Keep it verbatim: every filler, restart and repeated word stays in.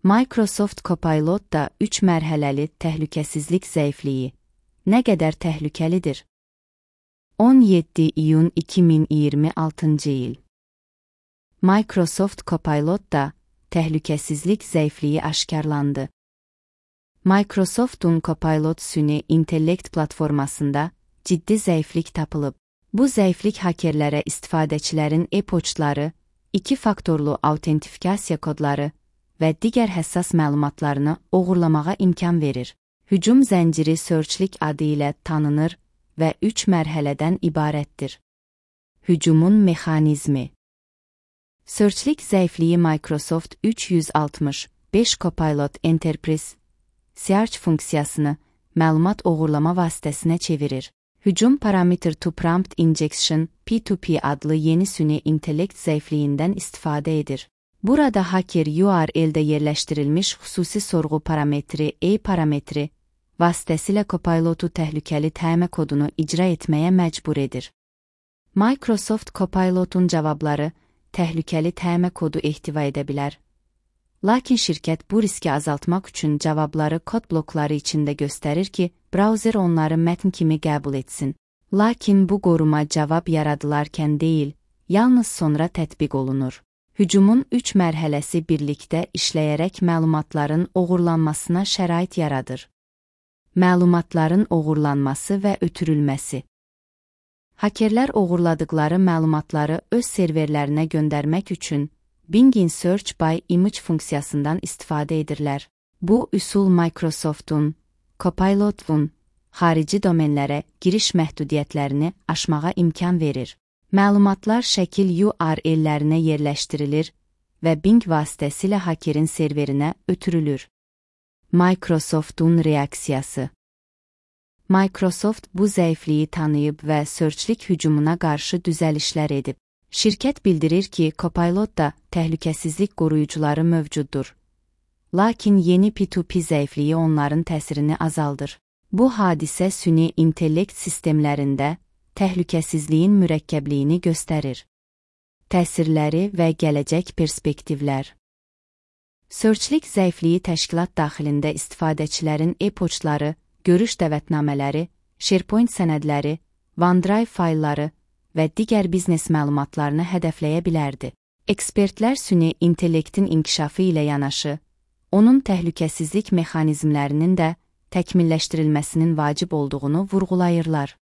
Microsoft Copilot da üç mərhələli təhlükəsizlik zəifliyi. Nə qədər təhlükəlidir? on yeddi iyun iki min iyirmi altıncı il. Microsoft Copilot da təhlükəsizlik zəifliyi aşkarlandı. Microsoft'un Copilot süni intellekt platformasında ciddi zəiflik tapılıb. Bu zəiflik hakerlərə istifadəçilərin e-poçtları, iki faktorlu autentifikasiya kodları və digər həssas məlumatlarını oğurlamağa imkan verir. Hücum zənciri Searchlik adı ilə tanınır və üç mərhələdən ibarətdir. Hücumun mexanizmi. Searchlik zəifliyi Microsoft üç yüz altmış beş Copilot Enterprise Search funksiyasını məlumat oğurlama vasitəsinə çevirir. Hücum Parameter to Prompt Injection P to P adlı yeni süni intellekt zəifliyindən istifadə edir. Burada haker U R L'də yerləşdirilmiş xüsusi sorğu parametri A parametri vasitəsilə Copilot'u təhlükəli təmə kodunu icra etməyə məcbur edir. Microsoft Copilot'un cavabları təhlükəli təmə kodu ehtiva edə bilər. Lakin şirkət bu riski azaltmaq üçün cavabları kod blokları içində göstərir ki, brauzer onları mətn kimi qəbul etsin. Lakin bu qoruma cavab yaradılarkən deyil, yalnız sonra tətbiq olunur. Hücumun üç mərhələsi birlikdə işləyərək məlumatların oğurlanmasına şərait yaradır. Məlumatların oğurlanması və ötürülməsi. Hakerlər oğurladıkları məlumatları öz serverlərinə göndərmək üçün Bing Search by Image funksiyasından istifadə edirlər. Bu üsul Microsoft'un, Copilot'un xarici domenlərə giriş məhdudiyyətlərini aşmağa imkan verir. Məlumatlar şəkil U R L'lərinə yerləşdirilir və Bing vasitəsilə hakerin serverinə ötürülür. Microsoft'un reaksiyası. Microsoft bu zəifliyi tanıyıb və Searchlik hücumuna qarşı düzəlişlər edib. Şirkət bildirir ki, Copilot'da təhlükəsizlik qoruyucuları mövcuddur. Lakin yeni P to P zəifliyi onların təsirini azaldır. Bu hadisə süni intellekt sistemlərində təhlükəsizliyin mürəkkəbliyini göstərir. Təsirləri və gələcək perspektivlər. Searchlik zəifliyi təşkilat daxilində istifadəçilərin e-poçtları, görüş dəvətnamələri, SharePoint sənədləri, OneDrive faylları və digər biznes məlumatlarını hədəfləyə bilərdi. Ekspertlər süni intellektin inkişafı ilə yanaşı, onun təhlükəsizlik mexanizmlərinin də təkmilləşdirilməsinin vacib olduğunu vurğulayırlar.